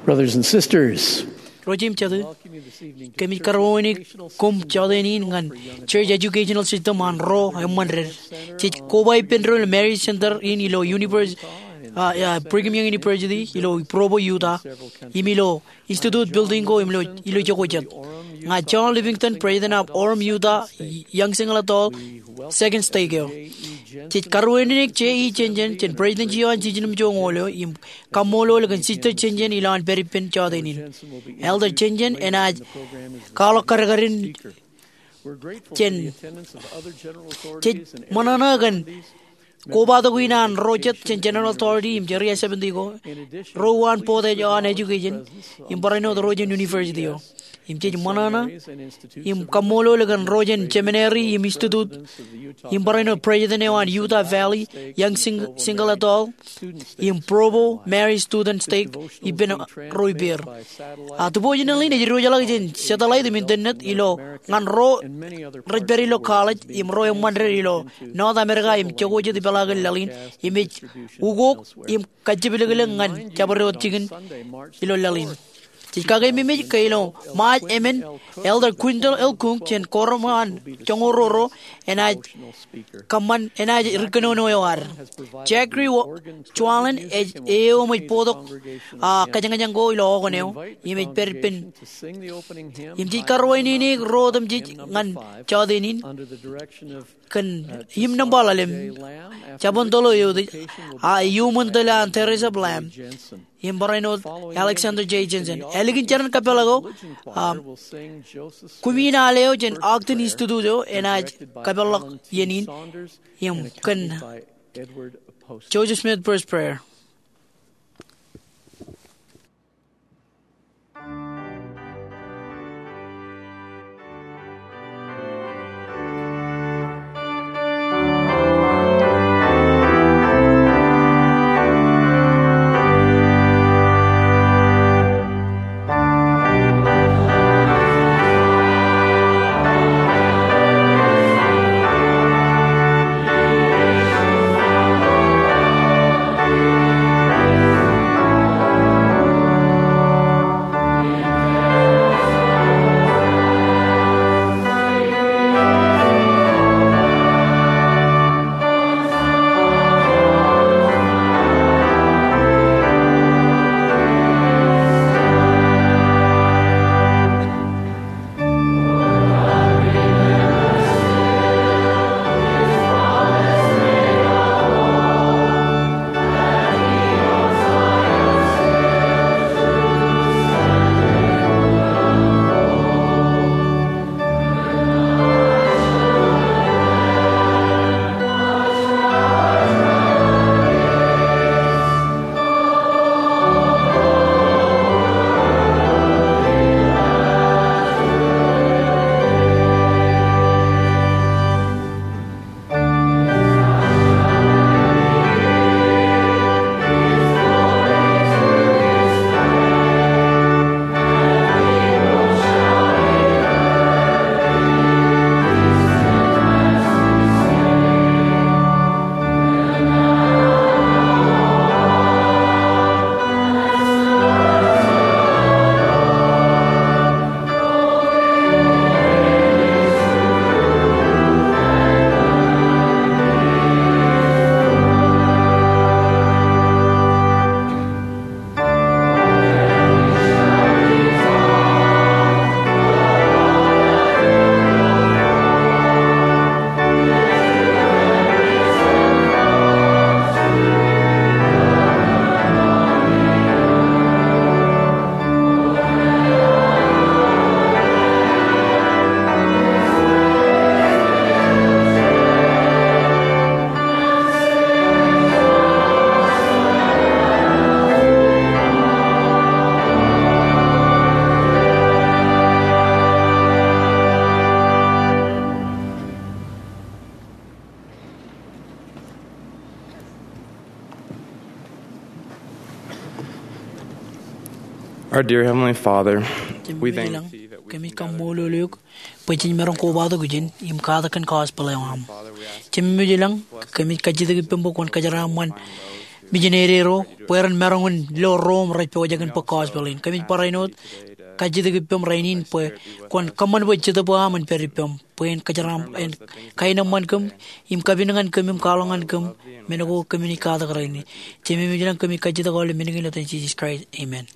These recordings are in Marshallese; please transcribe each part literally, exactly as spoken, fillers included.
Brothers and sisters, ro jeiū im jatū, kōmij karuwainene koṃ jọteen in ñan church educational system an ro eṃṃan red. Jej koba ippān doon ilo Marist Center in ilo univers-, ah, ah, Brigham Young University ilo Provo, Utah, im ilo Institute building ko im ilo, ilo jokwe jet. Ña John Livingstone, President of Orem Utah Young Single Adult Second Stake eo. Jej karuwainene J E Jenjen, jān President eo an jiljino im joñoul eo, im kaṃṃoolol kōn Sister Jenjen ilowaan pād ippān jọteen in. Elder Jenjen enaaj kwaḷọk kadkadin jān, jej ṃōṇōṇō kōn kobatok in an ro jet jān General Authority im Area seventy ko, ro eo an board eo an education, im barāinwōt ro jān university eo. Im jej ṃōṇōṇō im kaṃṃoolol kōn ro jān seminary im institute, im barāinwōt president eo an Utah Valley Young Sing-, Single Adult, im Provo Marist Student Stake ippān ro ippāer. A, unfortunately, ej diwōjḷọk jān satellite im internet ilo ñan ro rej pād ilo college im ro eṃṃan red ilo North America im jokwe jet ipeḷaakin laḷ in, im ej ukok im kajjepleklek ñan jabdewōt jikin ilo laḷ in. Jej kakeememej ke ilo March emān, Elder Quintal L. Coon jān Quorum an joñoul ruo ro enaaj kōṃṃan, enaaj ri kōnono eo ad. Jackie Wa-, Chualin ej eo im ej bōktok, a, kōjañjañ ko ilo Oregon eo, im ej pād ippān. Im jej karuwainene ro otemjej ñan jọteen in kōn hymn nōṃba ḷalem, Jabōn Toḷ Eo Eutiej, a, iuṃwin tōl an Teresa Blam, im barāinwōt Alexander J. Jensen. Ālikin jeran kapeḷḷọk eo, a, Kumin al eo jān Ogden Institute eo enaaj kapeḷḷọk iien in, im kōn Joseph Smith First Prayer. Our dear Heavenly Father, we thank thee that we kōmij kaṃṃoolol eok bwe jej maroñ kobatok ijin im katak kōn gospel eo aṃ. Jemem ilañ, kōmij kajjitōk ippaṃ bwe kwōn kōjeraaṃṃan misineri ro bwe ren maroñ in lo ro im rej pojak in bōk gospel in. Kōmij barāinwōt kajjitōk ippaṃ rainin bwe kwōn kōṃṃan bwe Jetōb eo aṃ en pād ippaṃ bwe en kōjeraaṃṃan, en kaenōṃṃan kōm im kapin ñan kōm im kwaḷọk ñan kōm men ko kōmij katak rainin. Jemem ilañ, kōmij kajjitōk aolep men kein ilo etan Jisōs Kraist. Amen.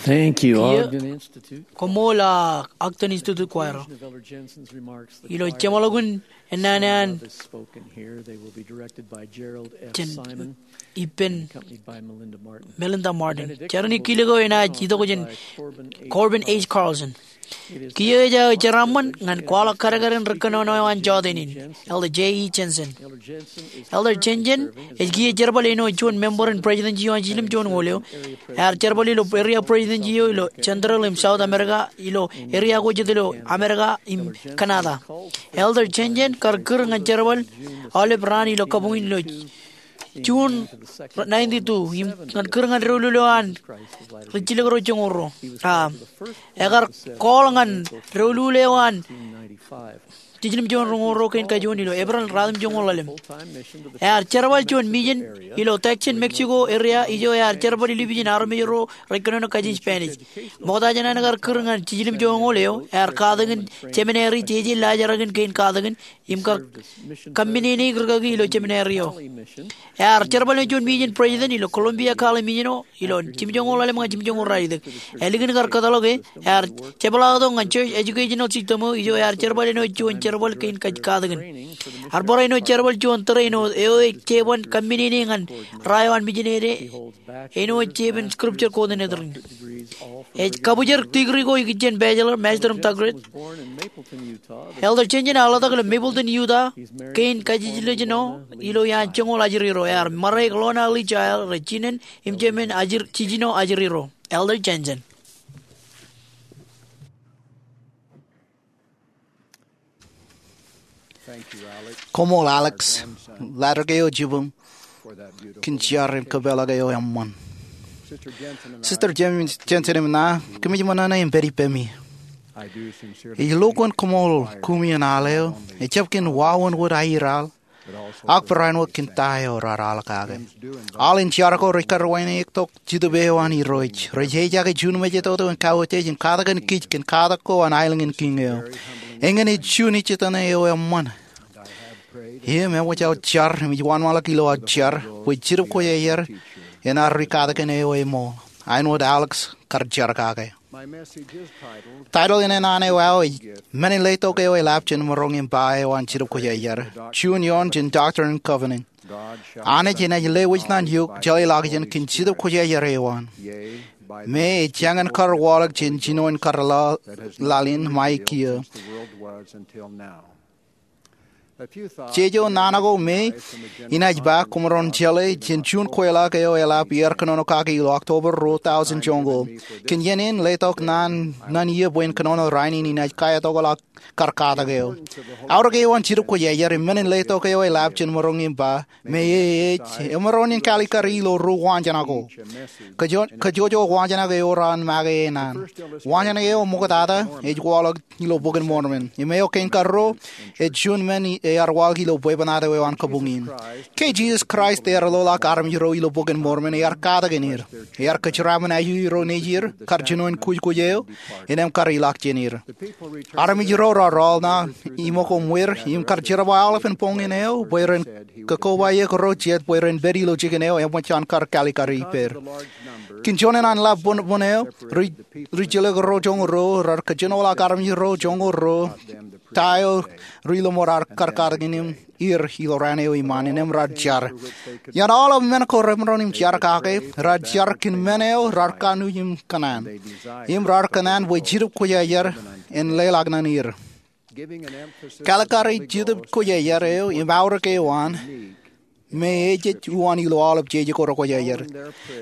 Thank you, Ogden Institute. Koṃṃool, a, Ogden Institute Choir. Ilo jeṃḷọkin ennaan an, jen ippān Melinda Martin. Jar in kilōk eo enaaj itok jān Corbin H. Carlson. Kiiō ej aō jeraaṃṃan ñan kwaḷọk kadkadin ri kōnono eo an jọteen in, Elder J E Jensen. Elder Jensen ej kiiō jerbal āinwōt juon member in presidency eo an Jiljilimjuonñoul eo. Ear jerbal ilo area presidency eo ilo Central im South America, ilo area ko jet ilo America im Canada. Elder Jensen kar kūr ñan jerbal aolep raan ilo kabuñ in ilo June ninety-two, im kar kūr ñan doulul eo an ri jilkinḷọk joñoul ruo. A, ekar call ñan doulul eo an Jiljilimjuonñoul ruo kein kajoor ilo April ratimjuonñoul ḷalem. Ear jerbal juon mission ilo Tucson, Mexico area, ijo ear jerbal ilju ijin armej ro rej kōnono kajin Spanish. Ṃokta jān an kar kūr ñan Jiljilimjuonñoul eo, ear katakin seminary, jeje laajrak in kein katakin, im kar kōmmeneneik rikaki ilo seminary eo. Ear jerbal ilo juon mission president ilo Columbia College Mission eo ilo jimjuonñoul ḷalem ñan jimjuonñoul ralitōk. Ālikin kar kōtḷọk e, ear jepḷaaktok ñan church educational system eo, ijo ear jerbal āinwōt juon jerbal kein katakin. Ear bar āinwōt jerbal juon tōre āinwōt eo ej jeban kōmmenene ñan ra eo an mijinede āinwōt jeban scripture coordinator in. Ej kabwijer degree ko ikijjien bachelor, master im doctorate. Elder Jensen ear ḷotak ilo Mapleton, Utah kein kajiljilimjuonñoul eo ilo iaan joñoul ajri ro. Ear ṃare Lorna Lee Child rej jinen im jemān ajri, jijino ajri ro. Elder Jensen. Koṃṃool Alex, latdikdek eo jibūṃ kōn jar im kōpeḷḷọk eo eṃṃan. Sister Jen-, Jensen im ṇa, kōmij ṃōṇōṇō im pād ippemi. Ij lo kōn koṃṃool kumi in al eo, ejjab kōn wāween wōt aer al, ak barāinwōt kōn ta eo raar al kake. Al in jar ko rej karuwainwōt tok Jetōb eo an Irooj, rej ejaake juon mejatoto in kauwōjjej im katakin kij kōn katak ko an aelōñ in kiiñ eo. Eñin ej juon ejjeḷọk eo eṃṃan. Im eṃōj aō jar im ij wōnṃaanḷọk ilo aō jar bwe Jetōb Kwōjarjar en ar rikatakin eo eṃool, āinwōt Alex kar jar kake. Title in naan eo aō ej Men in Letok Eo Eḷap Jān Maroñ im Ba Eo an Jetōb Kwōjarjar. Juon ioon jān Doctrine and Covenants. Anij enaaj lewōj ṇae eok jeḷāḷọkjeṇ kōn Jetōb Kwōjarjar eo an, me ej jañin kar waḷọk jān jinoin kar laḷ in ṃae kiiō. Jeje ṇae ko me inaaj ba koṃaroñ jeḷā jān juon kweḷap eo eḷap iar kōnono kaki ilo October ruo tọujin joñoul. Kōn iien in letok ṇae ṇae in bwe en kōnono rainin inaaj kaetok ḷọk kar katak eo. Aorōk eo an Jetōb Kwōjarjar im men in letok eo eḷap jān maroñ im ba, me ej emaroñ in kaalikkar ilo ruo waanjoñak ko. Kōj, kōjwōj waanjoñak eo raar make e ṇae. Waanjoñak eo ṃoktata ej waḷọk ilo Bok in Mormon. Im eo kein karuo, ej juon men ear waḷọk ilo bwebwenato eo an kabuñ in. Ke Jisōs Kraist ear loḷọk armej ro ilo Bok in Mormon, ear katakin er. Ear kōjeraaṃṃan ajri ro nejier, kar jinoin kujkuj eo, innām kar ilọk jān er. Armej ro raar rọọl ṇae iṃōk im wōr, im kar jerbal aolepen boñin eo, bwe ren kakobaik ro jet bwe ren pād ilo jikin eo eṃōj an kar kaalikkar ippāer. Kōn juon in an ḷap bōnbōn eo, ri, ri jelōk ro joñoul ruo raar kōjenolọk armej ro joñoul ruo ta eo ri lọmọọr raar kar katakin er ilo raan eo iṃaan, innām raar jar. Iaan aolep men ko remaroñ im jar kake, raar jar kōn men eo raar kanooj im kōṇaan. Im raar kōṇaan bwe Jetōb Kwōjarjar en leḷọk ṇae er. Kaalikkare Jetōb Kwōjarjar eo im aorōk eo an, me ejej uwaan ilo aolep jeje ko rekwōjarjar.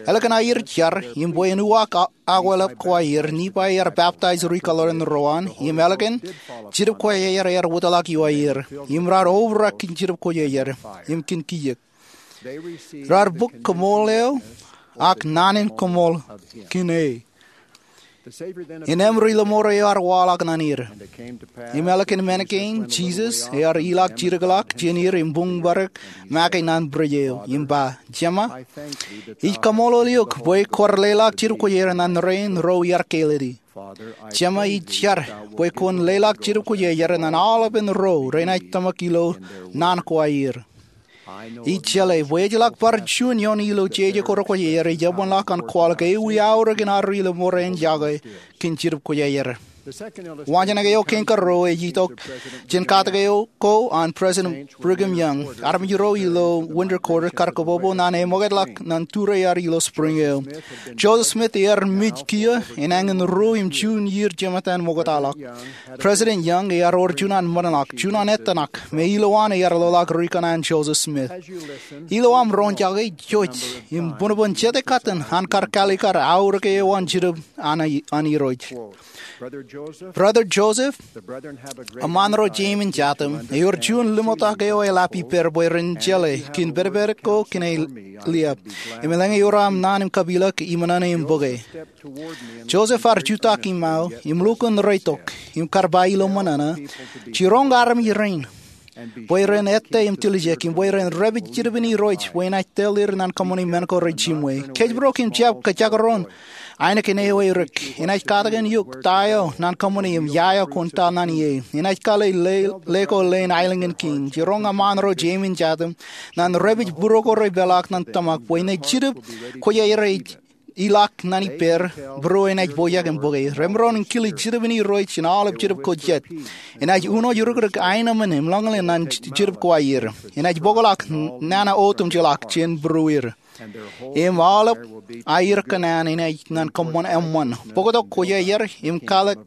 Ālikin aer jar, im bwe en uwaak a-, akwālep ko aer, Nifai ear peptaij ri kōḷoran ro an, im ālikin, Jetōb Kwōjarjar ear wōtlọk iowaer, im raar obrak kōn Jetōb Kwōjarjar, im kōn kiiō. Raar bōk koṃṃool eo, ak naan in koṃṃool kōn e. Innām ri lọmọọr eo ear waḷọk ṇae er. Im ālikin men kein, Jisōs ear ilọk jidikḷọk jān er im buñbōdik make ṇae bwidej eo, im ba, Jema, ij kaṃṃoolol eok bwe kwōj leḷọk Jetōb Kwōjarjar ṇae rein ro iaar kāālōt e. Jema, ij jar bwe kwōn leḷọk Jetōb Kwōjarjar ṇae aolepen ro renaaj tōmak ilo naan ko aer. Ij jeḷā bwe ejjeḷọk bar juon ioon ilo jeje ko rekwōjarjar ej eṃṃanḷọk an kwaḷọk ewi aorōk in ad ri lọmọọr en yokwe kōn Jetōb Kwōjarjar. Waanjoñak eo kein karuo ej itok jān katak eo ko an President Brigham Young. Armej ro ilo winter quarters kar kobobooḷ naan eṃōkajḷọk ñan tūrear ilo spring eo. Joseph Smith ear mej kiiō enañin ruo im juon iiō jemātan ṃoktaḷọk. President Young ear wōr juon an ṃōṇōṇō, juon an ettōṇak, im ilowaan ear loḷọk ri kōṇaan Joseph Smith. Ilo aṃ roñjake, jouj im buñbuñ jete katten an kar kaalikkar aorōk eo an Jibūn an Irooj. Brother Joseph, eṃṃaan ro jeim in jatem, ewōr juon ḷōmṇak eo eḷap ippāer bwe ren jeḷā kōn pedped ko kōn aer liab. Im eḷaññe ewōr aṃ naan im kapilōk, iṃōṇōṇō im bōke. Joseph ear jutak iṃao im lukkuun reitok im kar ba ilo ṃōṇōṇō, jiroñ armej rein bwe ren ettā im tiljek, im bwe ren dāpij Jibūn Irooj bwe enaaj tōl er ñan kōṃṃani men ko rej jimwe. Kōjparok im jab kōjakaroon ainikien eo erik. Enaaj katakin eok ta eo ñan kōṃṃani im ia eo kwōn ta ñan ie. Enaaj kale ḷe, ḷe ko ḷein aelōñ in kiiñ. Jiroñ eṃṃaan ro jeim in jatem ñan dāpij būruo ko rej peḷḷọk ñan tōmak bwe enaaj jidik kōjeaer ej ilọk ñan ippāer, būruo enaaj pojak im bōke. Remaroñ in kile Jibūn Irooj jān aolep jidip ko jet. Enaaj uno jidikdik aenōṃṃan im ḷōñḷōñ ñan jidip ko aer. Enaaj bōkḷọk nana otemjeḷọk jān būrueir. Im aolep aer kōṇaan enaaj ñan kōṃṃan eṃṃan, bōktok kōjeaer im kalōk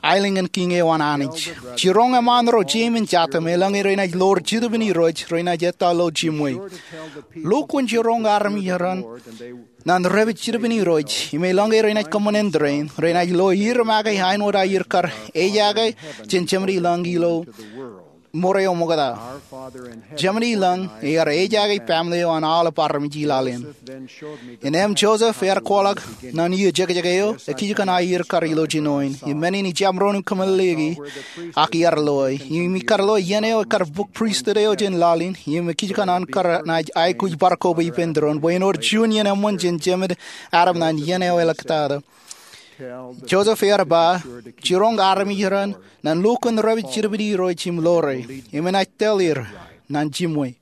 aelōñ in kiiñ eo an Anij. Jiroñ eṃṃaan ro jeim in jatem eḷaññe renaaj ḷoor Jibūn Irooj, renaaj ettā ilo jimwe. Lukkuun jiroñ armej ro ñan dāpij Jibūn Irooj, im eḷaññe renaaj kōṃṃan āindein, renaaj lo er make āinwōt aer kar ejaake jān Jemān i lañ ilo ṃure eo ṃokta. Jemān i lañ ear ejaake family eo an aolep armej i laḷ in. Innām Joseph ear kwaḷọk ñan iiō jekjek eo, ekijkien aer kar ilo jinoin. Im men in ijjab maroñ in kōmeḷeḷeiki, ak iar loe. Im ikar lo iien eo ekar bōk pristut eo jān laḷ in, im ekijkien an kar naaj aikuj bar koba ippān tūroon bwe en wōr juon iien eṃṃan jān Jemān Adam ñan iien eo eḷōktata. Joseph ear ba, jiroñ armej ro ñan lukkuun dāpij Jibūn Irooj im ḷoore, im enaaj tōl er ñan jimwe.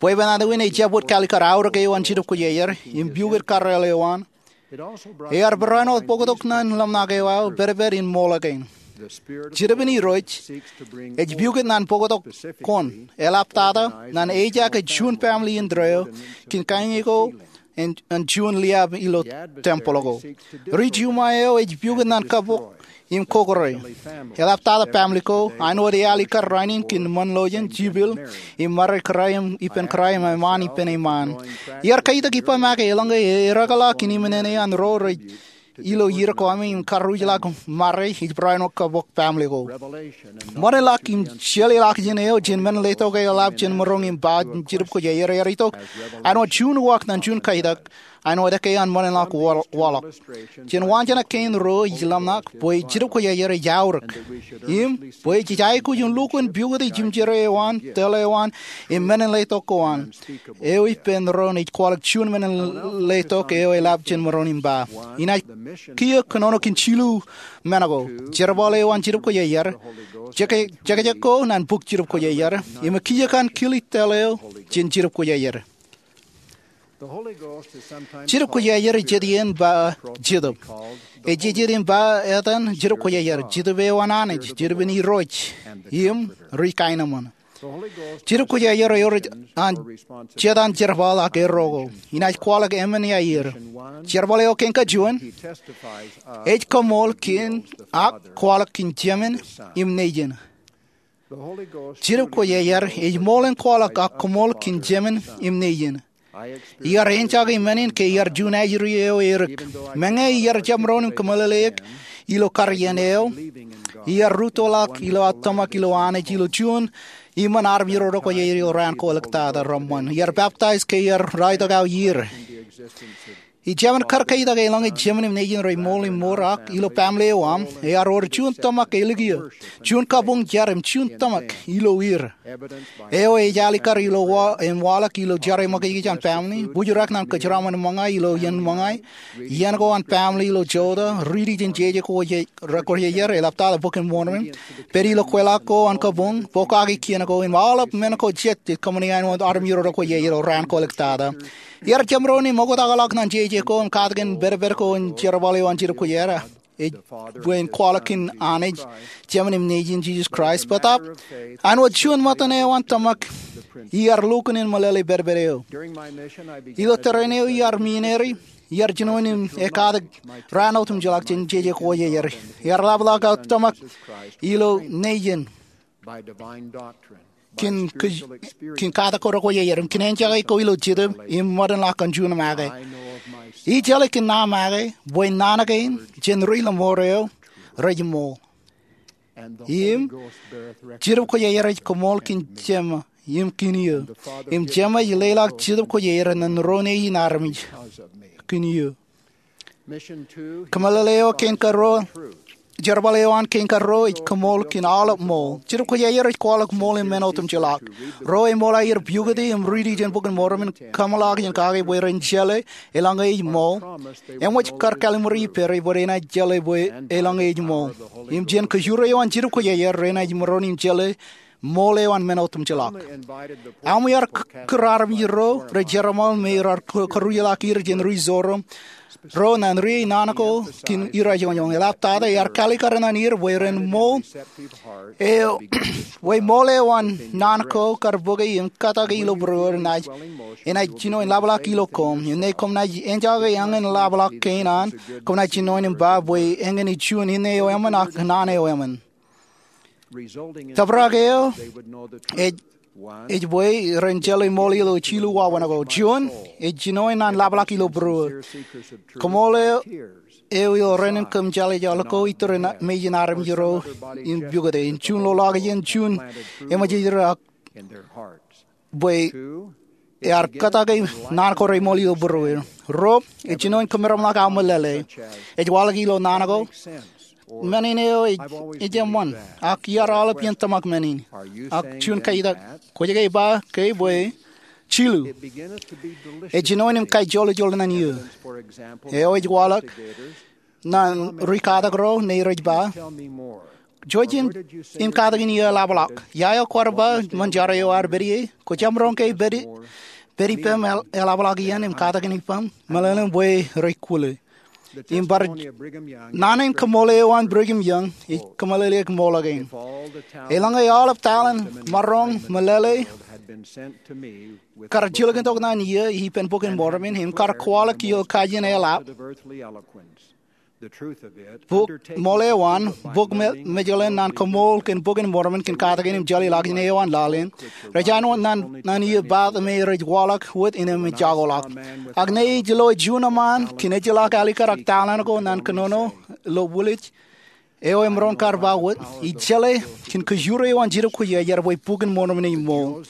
Bwebwenato in ejjab wōt kaalikkar aorōk eo an jidip kōjeaer im piukūt karreel eo an, ear barāinwōt bōktok ñan ḷōmṇak eo aō pedped in ṃool kein. Jibūn Irooj ej piukūt ñan bōktok koṇ, eḷaptata ñan ejaake juon family indeeo kōn kañin ko an juon liab ilo tempeḷ ko. Ri Jumwa eo ej piukūt ñan kabok im kokōrā, eḷaptata family ko, āinwōt ealikkar rainin kōn ṃōn ḷọk jān jipel im ṃare kōrā im ippān kōrā im eṃṃaan ippān eṃṃaan. Iar kaitak ippa make eḷaññe ereḷọk kōn iṃōṇōṇō an ro rej ilo ier ko ami im karruujḷọk ṃare ej barāinwōt kabok family ko. Ṃōṇōṇō ḷọk im jeḷāḷọkjeṇ eo jān men letok eo eḷap jān maroñ im ba jidip kōjeaer ear itok āinwōt juon uwaak ñan juon kaitak, āinwōt ekkā an ṃōṇōṇō ḷọk waḷọk. Jān waanjoñak kein ruo ij ḷōmṇak bwe jidip kōjeaer ej aorōk. Im bwe jej aikuj in lukkuun piukūt jimjere eo an, tōl eo an, im men in letok ko an. Eo ippān tūroon ej kwaḷọk juon men in letok eo eḷap jān maroñ im ba. Inaaj kiiō kōnono kōn jilu men ko. Jerbal eo an jidip kōjeaer. Jekjek ko ñan bōk jidip kōjeaer. Im ekijkien kile tōl eo jān jidip kōjeaer. Jidip kōjeaer ej jet iien ba Jetōb. Ej jet iien ba etan jidip kōjeaer, Jetōb eo an Anij, Jetōb in Irooj, im ri kaenōṃṃan. Jidip kōjeaer ewōr an jet an jerbal ak erro ko. Inaaj kwaḷọk emān iaer. Jerbal eo kein kajuon ej koṃṃool kōn ak kwaḷọk kōn Jemān im Nejin. Jidip kōjeaer ej ṃool in kwaḷọk ak koṃṃool kōn Jemān im Nejin. Iar enjake men in ke iar juon ajri eo erik. Meñe iar jab maroñ in kōmeḷeḷeik ilo kar iien eo, iar rūttoḷọk ilo aō tōmak ilo Anij ilo juon iṃōn armej ro kōjeañ ilo raan ko ḷōktata reṃṃan. Iar peptaij ke iar raorōk aō iiō. Ij jab kar kaitak eḷaññe Jemān im Nejin rej ṃool im mour ak ilo family eo aṃ, ear wōr juon tōmak ālikiiō, juon kabuñ jar im juon tōmak ilo er. Eo ej alikkar ilo wa, im waḷọk ilo jeraṃṃan kōj an family, bōjrak ñan kōjeraṃṃan ṃōñā ilo iien ṃōñā, iien ko an family ilo jota, riiti jān jeje ko je, rej kōjeañ, eḷaptata Bok in Mormon, pād ilo kweilọk ko an kabuñ, pokake kien ko, im aolep men ko jet ej kōṃṃani āinwōt armej ro kōjeañ ilo raan ko ḷōktata. Iar jab maroñ in ṃoktaḷọk ñan je ej ko im katakin pedped ko in jerbal eo an Jidip Kwōjarjar, ej bwe en kwaḷọk kōn Anij Jemān im Nejin Jisōs Kraist. Bōtaab, āinwōt juon ṃōttan eo an tōmak, iar lukkuun in meḷeḷe pedped eo. Ilo tōre in eo iar misineri, iar jinoin im ekatak raan otemjeḷọk jān jeje kwōjarjar. Iar ḷapḷọk aō tōmak ilo Nejin kōn katak ko rekwōjarjar im kōn enjake ko ilo Jetōb im ṃōdenḷọk kōn juon make. Ij jeḷā kōn aō make bwe naan kein jān ri ḷōṃaro rej ṃool. Im Jidip Kwōjarjar ej kōṃool kōn Jema im kōn eō. Im Jema ej leḷọk Jidip Kwōjarjar ñan ro nejin armej kōn eō. Kōmeḷeḷe eo kein kōrā, jerbal eo an kein kōrā ej kōṃool kōn aolep ṃool. Jidip Kwōjarjar ej kwaḷọk ṃool im men otemjeḷọk. Ro eṃool aer pukoti im riiti jān Bok in Mormon kōmeḷọkjeṇ kake bwe ren jeḷā eḷaññe ej ṃool. Eṃōj kar kallim̧ur ippād bwe renaaj jeḷā bwe eḷaññe ej ṃool. Im jān kōjure eo an Jidip Kwōjarjar renaaj maroñ in jeḷā ṃool eo an men otemjeḷọk. Aṃ iar kūr armej ro rej jerbal me rar kūrjeḷọk er jān ri Sorom ro ñan ri naan ko kōn irajoñoñ. Eḷaptata ear kaalikkar ñan er bwe ren ṃool eo, bwe ṃool eo an naan ko kar bōke im kōtake ilo būruōd enaaj, enaaj jino in ḷapḷọk ilo koṃ. Im ñe koṃ naaj enjake eñin ḷapḷọk kein an, koṃ naaj jino in ba bwe eñin ej juon inne eo emān ak naan eo emān. Tōprak eo ej, ej bwe ren jeḷā ṃool eo ilo jilu wāween ko. Juon, ej jino in ḷapḷọk ilo būruōd. Kōṃool eo, eo ilo renin kōm jeḷā jeḷā ko iturū mejān armej ro im pukot e. Im juon lolọk jān juon eṃōj ej ro ak bwe ear kōtake naan ko reṃool ilo būruōd. Ruo, ej jino in kōmeramḷọk aō meḷeḷe. Ej waḷọk ilo naan ko, men in eo ej, ej eṃṃan, ak iar aolep iien tōmak men in. Ak juon katak, kwōj ke ba ke bwe jilu. Ej jino in kaijoḷ ijoḷ ñan eō. Eo ej waḷọk ñan ri katak ro ñe rej ba, jouj im, im katakin eō eḷapḷọk. Ia eo kwaar ba ñan jar eo ear pād ie, kwōj jab roñ ke pād, pād ippem eḷapḷọk iien im katakin ippem? Meḷeḷein bwe rej kwōle. Im bar naan in kōṃool eo an Brigham Young ej kōmeḷeḷeik ṃool kein. Eḷaññe aolep talent, maroñ, meḷeḷe kar jilkintok ñan eō ippān Bok in Mormon im kar kwaḷọk ilo kajin eḷap, bok, ṃool eo an, bok me, mejeḷan ñan kōṃool kōn Bok in Mormon kōn katakin im jeḷāḷọkjeṇ eo an laḷ in, rej āinwōt ñan, ñan eō path me rej waḷọk wōt innem ejjakoḷọk. Ak ñe ej lo juon eṃṃaan kōn ejjeḷọk alikkar ak talent ko ñan kōnono ilo bulij, eo emaroñ kar ba wōt, ij jeḷā kōn kōjure eo an Jidip Kwōjarjar bwe Bok in Mormon ej ṃool.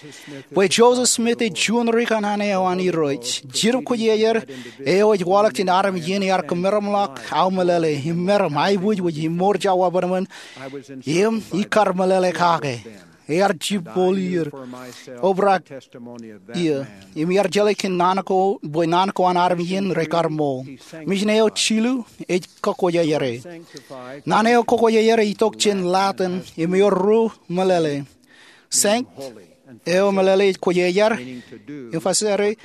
Bwe Joseph Smith ej juon ri kanaan eo an Irooj. Jidip Kwōjarjar eo ej waḷọk jān armej in ear kōmeramḷọk aō meḷeḷe, im meram, aiboojoj, im mour jabdewōt, im ikar meḷeḷe kake. Ear jibboḷ er, obrak eō, im iar jeḷā kōn naan ko, bwe naan ko an armej in rekar ṃool. Ṃōjin eo jilu ej kakwōjarjare. Naan eo kakwōjarjare ej itok jān Latin, im ewōr ruo meḷeḷe. Sancti, eo meḷeḷe ej kwōjarjar, im facere,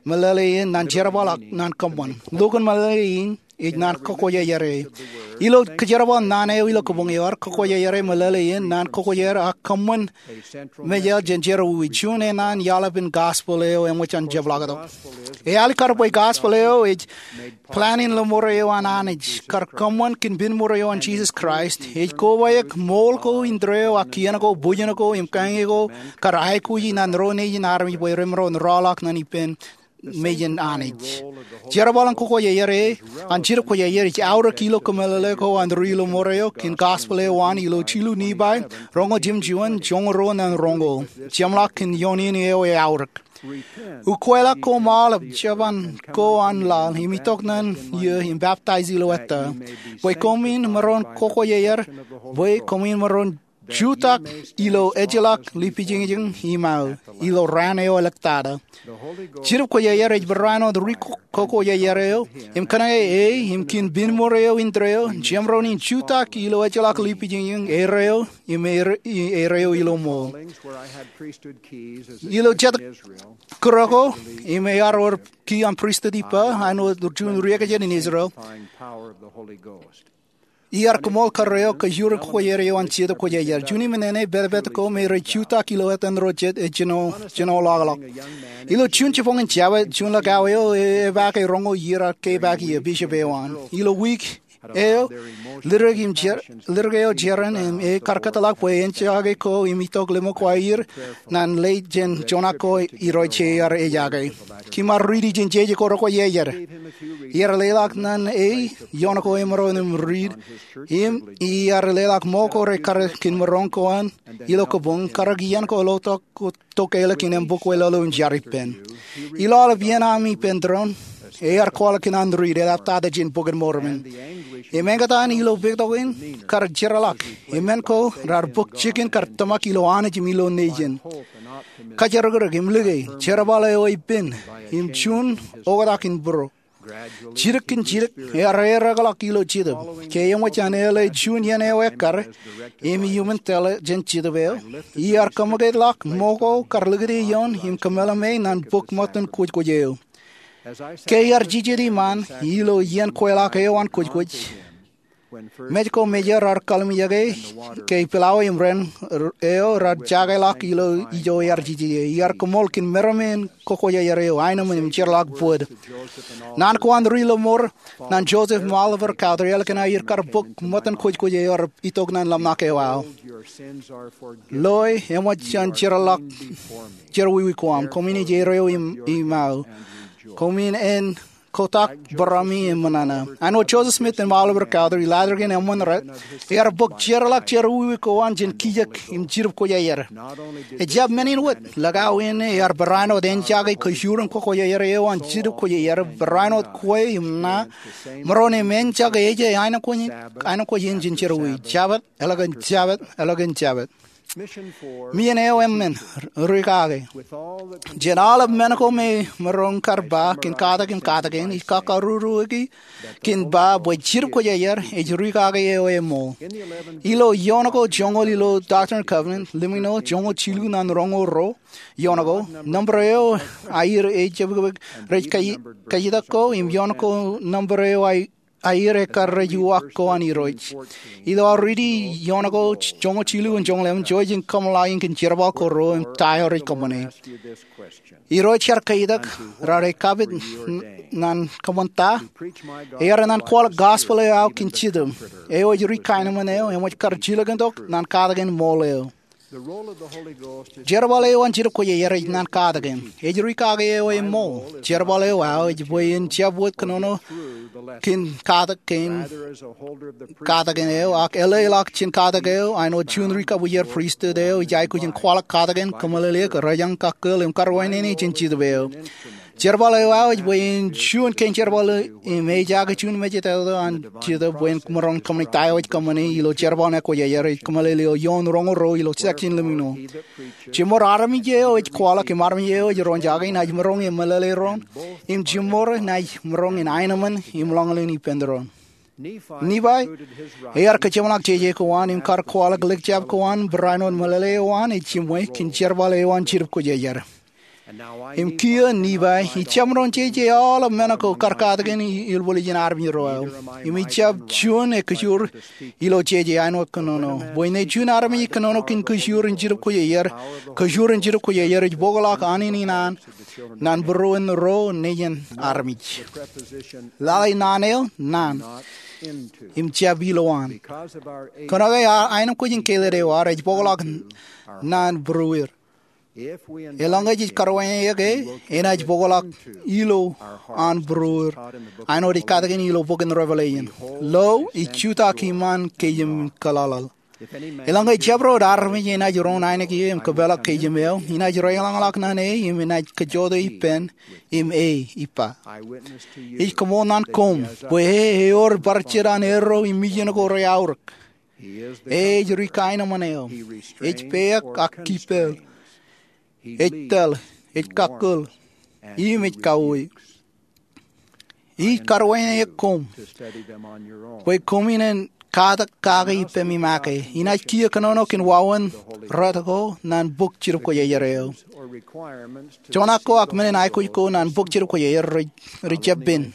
meḷeḷe in ñan jerbal ak ñan kōṃṃan. Lukkuun meḷeḷe in ej naan kakwōjarjare. Ilo kōjerbal naan eo ilo kōbōñ eo ear kakwōjarjare, meḷeḷe in naan kakwōjarjar ak kōṃṃan. Mejād jān jerọwiwi juon eṇ an iaḷap in gospel eo eṃōj an jepḷaaktok. Ealikkar bwe gospel eo ej plan in ḷōṃaro eo an Anij kar kōṃṃan kōn pen mour eo an Jisōs Kraist, ej kobaik ṃool ko, indeeo ak kien ko, bwijin ko im kañe ko kar aikuji ñan ro nejin armej bwe remaroñ rọọlḷọk ñan ippān mejān Anij. Jerbal in kakwōjarjar eo an Jidip Kwōjarjar ej aorōk ilo kōmeḷeḷe ko an ri ḷōṃaro kōn gospel eo an ilo jilu Nephi, roñoul jimjuon, joñoul ruo ñan roñoul. Jemḷọk kōn ioon in eo eaorōk. Ukweḷọk koṃ aolep jeban ko an laḷ im itok ñan eō im peptaij ilo ettā, bwe koṃwin maroñ kakwōjarjar, bwe koṃwin maroñ jutak ilo ejjeḷọk lipijiñjiñ iṃaō ilo raan eo ḷọk tata. Jidip Kwōjarjar ej barāinwōt ri ko-, kokojarjar eo im kōnke e im kiin pinemour eo indeeo jemaroñ in jutak ilo ejjeḷọk lipijiñjiñ erreo im er-, i-, erreo ilo ṃool. Ilo jet kūr ko im ear wōr ki an pristut ippa, āinwōt juon riekjān in Israel, iar kōṃṃool kōrā eo kōjur in kokojarjar eo an Jetōb Kwōjarjar. Juon im nene, pād pād ko me rej jutak ilo etan ro jet ej jino, jino ḷọkḷọk. Ilo juon jipañ in jabōt, juon ḷōkā eo e, epaake roñoul iiō ear kepaak eō, bishop eo an. Ilo wiik eo, lidik im jer-, lidik eo jeran im e kar kōtḷọk bwe en jake ko im itok ḷōmṇak ko aer ñan ḷe jān joñak ko Irooj ear ejake. Kiiṃ ar riiti jān jeje ko rekwōjarjar. Iar leḷọk ñan e ioon ko emaroñ im riit, im iar leḷọk ṃool ko rekar kōn maroñ ko an ilo kabuñ, karōk iien ko lotok ko tok eḷap kōn embukwe lolo im jar ippān. Ilo aolep iien ami ippān doon, ear kwaḷọk kōn an riit eḷaptata jān Bok in Mormon. Im eñtaan ilo pād tok in kar jeorḷọk, im men ko raar bōk jikin kar tōmak ilo Anij im ilo nejin. Kōjrōkrōk im like, jerbal eo ej pen, im juon oktak in būro. Jidik kōn jidik, ear erekḷọk ilo Jetōb. Ke eṃōj an eḷe juon iien eo ekkar, im iuṃwin tōl jān Jetōb eo, iar kōṃakūtḷọk ṃool ko kar likūt ioon im kōmeḷeḷe ñan bok ṃōttan kwōjkwōj eo. Ke iar jijet iṃaan, ilo iien kweilọk eo an kwōjkwōj, mej ko mejān raar kalimjeke ke pilawa im ren eo raar jakeḷọk ilo ijo ear jijet ie. Iar kōṃṃool kōn meram in kokojarjar eo, aenōṃṃan im jeorḷọk bōd. Naan ko an ri lọmọọr ñan Joseph im Oliver Cowdery eḷap kōn aer kar bok ṃōttan kwōjkwōj eo ear itok ñan ḷōmṇak eo aō. Loe, eṃōj jān jeorḷọk, jerọwiwi ko aṃ. Koṃwin ej erreo im, iṃaō. Koṃwin en kotak barāmi im ṃōṇōṇō. Āinwōt Joseph Smith im Oliver Cowdery, laajrak in eṃṃan rej, ear bōk jeorḷọk jerọwiwi ko an jān kijak im jidip kwōjarjar. Ejjab men in wōt, ḷōkā in ear barāinwōt en jake kōjur in kokojarjar eo an jidip kwōjarjar, barāinwōt kwe im ṇa, maroñ im en jake ej aenōṃṃan, aenōṃṃan in jān jerọwiwi. Jabōt, eḷap kōn jabōt, eḷap kōn jabōt. Mien eo eṃṃan, ri kake. Jān aolep men ko me maroñ kar ba kōn katak im katakin, ij kakaruruiki kōn ba bwe jidip kwōjarjar ej ri kake eo eṃṃool. Ilo ioon ko joñoul ilo Doctrine and Covenants, lemñoul joñoul jilu ñan roñoul ruo, ioon ko, nōṃba eo aer ej jepkepek rej kae-, kaetak ko, im ioon ko nōṃba eo aer aer ekkar rej uwaak ko an Irooj. Ilo aō riiti ioon ko joñoul jilu im joñoul emān, jouj im kōṃṃan ḷọk in kōn jerbal ko ruo im ta eo rej kōṃṃane. Irooj, ear kaetak, raar ej kapit ñan kōṃṃan ta? Ear ñan kwaḷọk gospel eo aō kōn Jetōb, eo ej ri kaenōṃṃan eo, eṃōj kar jilkintok ñan katakin ṃool eo. Jerbal eo an jidip kwōjarjar ej ñan katakin. Ej ri kake eo eṃṃool. Jerbal eo aō ej bwe en jab wōt kōnono kōn katak kōn katakin eo, ak eḷḷọk jān katak eo, āinwōt juon ri kabwijer pristut eo ej aikuj in kwaḷọk katakin, kōmeḷeḷeik, rōjañ, kakkōl, im karuwainene jān Jetōb eo. Jerbal eo aō ej bwe en juon kein jerbal im ejaake juon mejatoto an Jetōb bwe en maroñ kōṃṃane ta eo ej kōṃṃane ilo jerbal eo an kwōjarjar ej kōmeḷeḷe ioon roñoul ruo ilo section lemñoul. Jimor armej eo ej kwaḷọk im armej eo ej roñjake, inaaj maroñ in meḷeḷe doon, im jimor inaaj maroñ in aenōṃṃan im ḷōñlōñ ippān doon. Nephi, ear kōjeṃḷọk jeje ko an im kar kwaḷọk ḷōkjab ko an, barāinwōt meḷeḷe eo an ej jiṃwe kōn jerbal eo an jidip kwōjarjar. Im kiiō Nephi, ij jab maroñ jeje aolep men ko kar katakin i-, ilbōḷ ijin armej ro aō. Im ij jab juon ekōjur ilo jeje āinwōt kōnono. Bwe ṇe juon armej ej kōnono kōn kōjur in jidip kwōjarjar, kōjur in jidip kwōjarjar ej bōkḷọk anininin an ñan būruon ro nejin armej. Lale naan eo, naan. Im jab ilowaan. Kōnke aenōṃṃan kwōj in kāālōt eo aō, rej bōkḷọk ñan būrueir. Eḷaññe jej karuwainene ke, enaaj bōkḷọk ilo an būrueir. Āinwōt ej katakin ilo bok in Revelation. Lo, ij jutak iṃaan kōjām kōḷaḷḷaḷ. Eḷaññe jabdewōt armej enaaj roñ ainikien im kōpeḷḷọk kōjām eo, inaaj reiḷọñḷọk ñan e im inaaj kajjojo ippān, im e ippa. Ij kōṃṃool ñan koṃ bwe e ewōr bar jet an erro im mijin ko reaorōk. E ej ri kaenōṃṃan eo. Ej peak ak kippeḷ. Ej tōl, ej kakkōḷ, im ej kauwe. Ij karuwainene eok koṃ bwe koṃwin en katak kake ippemi make. Inaaj kiiō kōnono kōn wāween rot ko naan bok Jetōb Kwōjarjar eo. Joñak ko ak men in aikuj ko naan bok Jetōb Kwōjarjar rej, rej jab pen.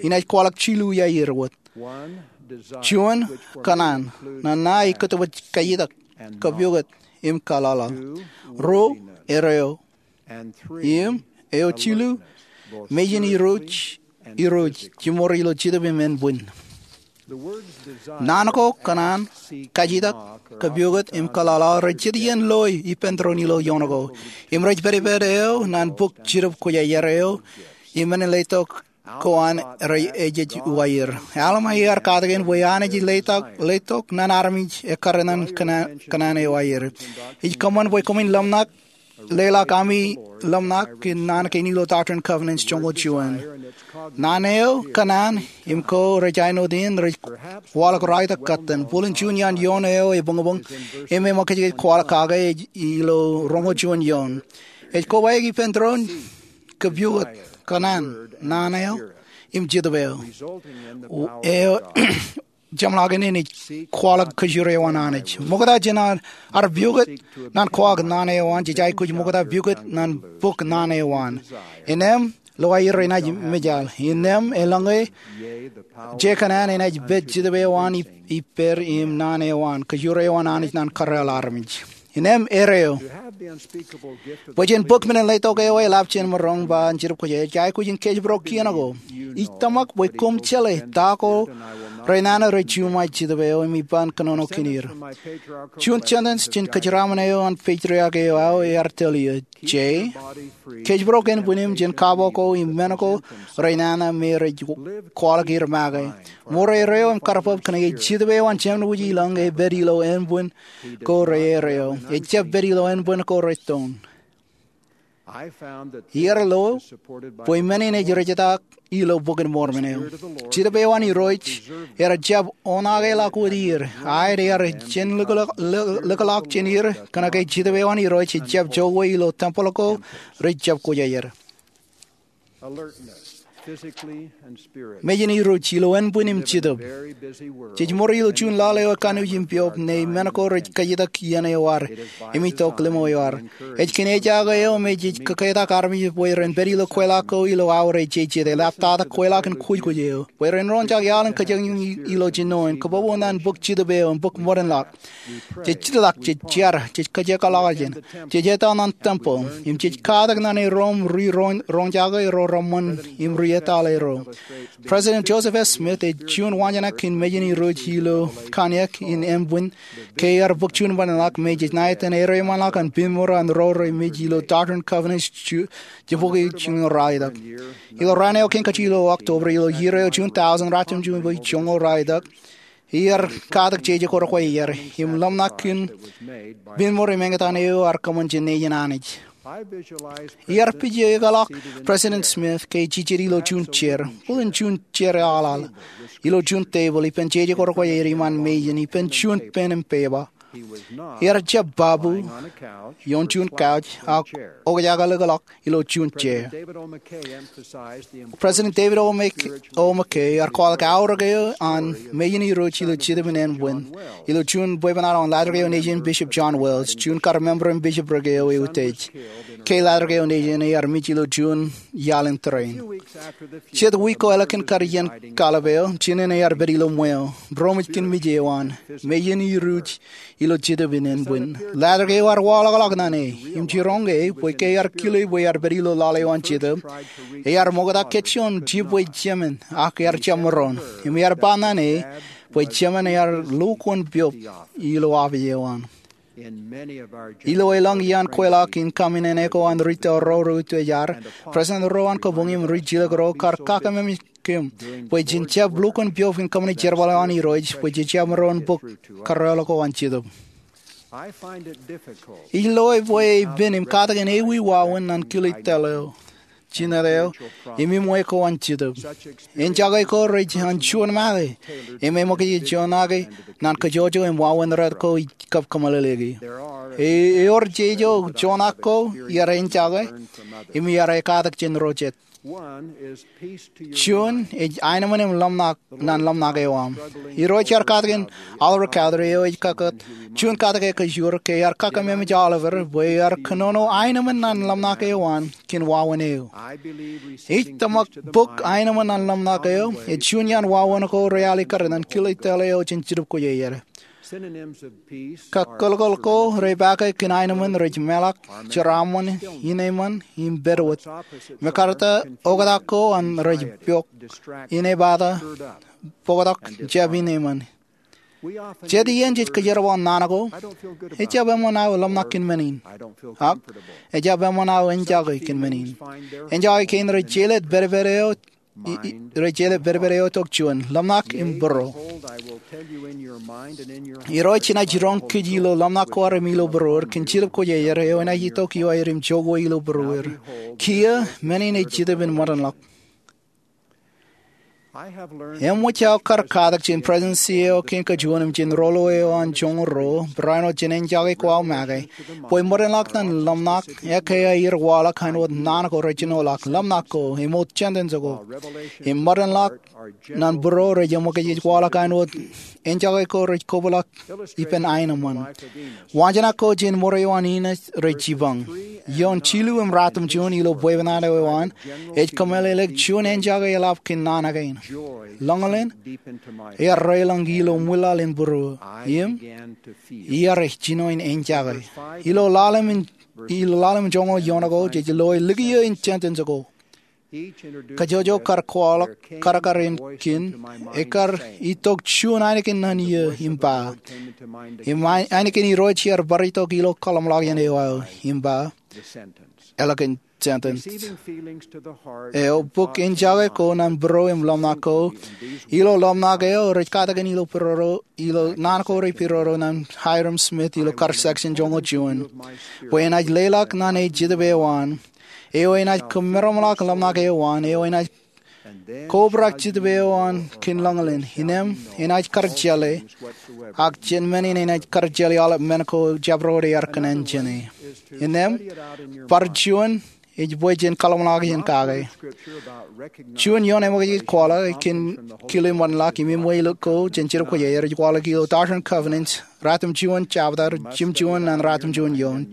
Inaaj kwaḷọk jilu iar wōt. Juon, kōṇaan. Nana ej kōttōpar kajjitōk, kōpoukot, im kaḷaḷaḷ. Ruo, erreo. Im eo jilu, mejān Irooj, Irooj, jiṃor ilo Jetōb im Ānbwin. Naan ko kōṇaan, kajjitōk, kōpoukot, im kaḷaḷaḷ rej jet iien loe ippān tōre in ilo ioon ko. Im rej pedped eo naan bok Jetōb Kwōjarjar eo, im men in letok ko an rej ejej uwaer. Alma ear katakin bwe Anij ej letok, letok naan armej ekkar naan kōṇaan, kōṇaan eo aer. Ij kōṃṃan bwe koṃwin ḷōmṇak, leḷọk ami ḷōmṇak kōn naan kein ilo Doctrine and Covenants joñoul juon. Naan eo kōṇaan im ko rej āinwōt in rej waḷọk raetok kōttan. Bōlen juon iaan ioon eo ebuñbuñ im eṃōkajkaj kwaḷọk kake ej ilo roñoul juon ioon. Ej kobaik ippān tōre in, kōpoukot, kōṇaan, naan eo, im Jetōb eo. Eo jeṃḷọkin in ej kwaḷọk kōjro eo an Anij. Ṃokta jān ad, ad piukot naan kwaḷọk naan eo an, jej aikuj ṃokta piukot naan bok naan eo an. Innām lo aer enaaj mejaḷ. Innām eḷaññe je kōṇaan enaaj pād Jetōb eo an ip-, ippād im naan eo an, kōjro eo an Anij naan kōrreoḷ armej. Innām erreo. Bwe jen bōk men in letok eo eḷap jān maroñ ba an Jetōb Kwōjarjar, ij aikuj in kōjparok kien ko. Ij tōmak bwe koṃ jeḷā ta ko renana rej juṃae Jetōb eo im ij ban kōnono kōn er. Juon sentence jān kōjeraaṃṃan eo an patriarch eo aō ear tōl iiō. Jay, kōjparok ānbwin eṃ jān kabo ko im men ko renana me rej kwaḷọk er make. Ṃour erreo im karbab kōnke Jetōb eo an Jemān Wūj Ilōñ ej pād ilo ānbwin ko reerreo. Ej jab pād ilo ānbwin ko rettoon. Iar lo bwe men in ej rejetak ilo Bok in Mormon eo. Jetōb eo an Irooj ear jab oṇakeḷọk wōt er. Aet, ear jen likḷọk, likḷọk jān er kōnke Jetōb eo an Irooj ej jab jokwe ilo tempel ko rej jab kwōjarjar. Mejān Irooj ilo ānbwin im jetōb. Jej ṃour ilo juon laḷ eo ekanooj im piob ṇe men ko rej kajjitōk iien eo ad im itok limo eo ad. Ej kōn ejaake eo me jej kōketak armej bwe ren pād ilo kweilọk ko ilo aorōk jeje. Eḷaptata kweilọk in kwōjkwōj eo bwe ren roñjake aolep kōjañjañ ilo jinoin kōpopo naan bok Jetōb eo im bok ṃōdenḷọk. Jej jitḷọk, jej jar, jej kōjekḷọk jān, jej etal naan tempel, im jej katak naan erom ri roñ-, roñjake ro reṃṃan im ri etal ro. President Joseph F. Smith ej juon wañjānak kōn mejān Irooj ilo kōnono in ānbwin, ke ear bōk juon ṃōdenḷọk me jej ṇa etan ereṃanḷọk an piṃṃur an ro remej ilo Doctrine and Covenants ju-, jibukwi joñoul ruwaitōk. Ilo raan eo kein kajjitōk ilo October ilo iiō eo juon thousand ratimjuonñoul bwe joñoul ruwaitōk, ear katak jeje ko rekwōjarjar im ḷōmṇak kōn piṃṃur im eñtaan eo ear kōṃṃan jān nejin Anij. Iar pije ekōḷọk President Smith ke ej jejjet ilo juon chair, bōlen juon chair aḷaḷ, ilo juon tebōḷ ippān jeje ko rekwōjarjar iṃaan mejān ippān juon pen im peba. Ear jab babu ioon juon couch ak okjake likḷọk ilo juon chair. President David O. Mc-, O. McKay ear kwaḷọk aorōk eo an mejān Irooj ilo Jetōb in ānbwin ilo juon bwebwenato an Latter-day Nation Bishop John Wells, juon kar member im bishopric eo eutiej. Ke Latter-day Nation ear mej ilo juon iaḷ in tōre in. Jet wiik ko ḷọk kōn kar iien kaḷap eo, jinen ear pād ilo ṃweo. Ro mej kōn mej eo an mejān Irooj ilo Jetōb in ānbwin. Latter-day eo ear waḷọkḷọk naan e im jiroñ ke bwe ke ear kile bwe ear pād ilo laḷ eo an Jetōb, ear ṃokta kōjjioñ jibwe jemān ak ear jab maroñ. Im ear ba naan e bwe jemān ear lukkuun piob ilo apiej eo an. Ilo elōñ iaan kweilọk in kaṃōṇōṇō ko an ri tōl ro reutiej ad, president ro an kabuñ im ri jilkinḷọk ro kar kakeememej kōm bwe jen jab lukkuun piob in kōṃṃane jerbal eo an Irooj bwe jej jab maroñ bōk kōrreoḷọk ko an Jetōb. Ij loe bwe epen im katakin ewi wāween naan kile tōl eo. jined eo im iṃwe ko an Jetōb. Enjake ko rej an juon make im eṃōkaj juon ake nan kajjojo im wāween rot ko ij kab kōmeḷeḷeiki. Ewōr jeje juon ak ko iar enjake im iar ekatak jān ro jet. Juon ej aenōṃṃan im ḷōmṇak nan ḷōmṇak eo aṃ. Irooj iar katakin Oliver Cowdery eo ej kakōt juon katak ekajoor ke ear kakememej Oliver bwe ear kōnono aenōṃṃan nan ḷōmṇak eo an kōn wāween eo. Ij tōmak bok aenōṃṃan nan ḷōmṇak eo ej juon iaan wāween ko realikkar nan kile tōl eo jān Jetōb Kwōjarjar. Kakōḷkōḷ ko repaake kōn aenōṃṃan rej meḷọk, jeraaṃṃan, ineṃṃan im pedwōt. Mekarta oktak ko an rej piọk, inepata, bōktok, jab ineṃṃan. Jet iien jej kōjerbal naan ko, ejjab eṃṃan aō ḷōmṇak kōn men in, ak ejjab eṃṃan aō enjake kōn men in. Enjake kein rej jelōt pedped eo rej jelōt pedped eo tok juon, ḷōmṇak im būruo. Irooj jenaaj jiroñ kōj ilo ḷōmṇak ko ad im ilo būruod kōn Jetōb Kwōjarjar eo enaaj itok iowaer im jokwe ilo būruod. Kiiō, men in ej Jetōb in ṃōdenḷọk. Eṃōj aō kar katak jān Presidensi eo kein kajuon im jān Rōḷḷō eo an Joñoul Ruo, barāinwōt jān enjake ko aō make, bwe ṃōdenḷọk nan ḷōmṇak ekkā aer waḷọk āinwōt naan ko rejjinoḷọk, ḷōmṇak ko, emoot sentence ko, im ṃōdenḷọk nan būruo rej eṃōkaj waḷọk āinwōt enjake ko rej kobrak ippān aenōṃṃan. Waanjoñak ko jān ṃōreo an Inōs rej jipañ. Ioon jilu im ratimjuon ilo bwebwenato eo an, ej kōmeḷeḷeik juon enjake eḷap kōn naan kein. Lōñlōñ ear reiḷọñ ilo ṃwilaḷ in būruo, im iar jino in enjake. Ilo ḷalem in, ilo ḷalem in joñoul iọọṇ ko, jej loe likiiō in sentence ko. Kajjojo kar kwaḷọk karkar in kein, ekkar itok juon ainikien naan iiō im ba, im ainikien Irooj ear bar itok ilo kōḷmānḷọkjeṇ eo aō im ba, ālikin sentence eo, bōk enjake ko nan būruo im ḷōmṇak ko. Ilo ḷōmṇak eo rej katakin ilo būruo, ilo naan ko rej būruo nan Hyrum Smith ilo kar section joñoul juon, bwe enaaj leḷọk naan eo Jetōb eo an, eo enaaj kōmeramḷọk ḷōmṇak eo an, eo enaaj kobrak Jetōb eo an kōn lōñlōñ, innem enaaj kar jeḷā, ak jān men in enaaj kar jeḷā aolep men ko jabdewōt ear kōṇaan jāne. Innem, bar juon ej bwe jen kōḷmānḷọkjeṇ kake. Juon ioon eṃōkajjik kwaḷọk kōn kile ṃōdenḷọk im iṃwe ilo ko jān Jetōb Kwōjarjar ej kwaḷọk ilo Doctrine and Covenants, ratimjuon jabta, jimjuon ñan ratimjuon eoon.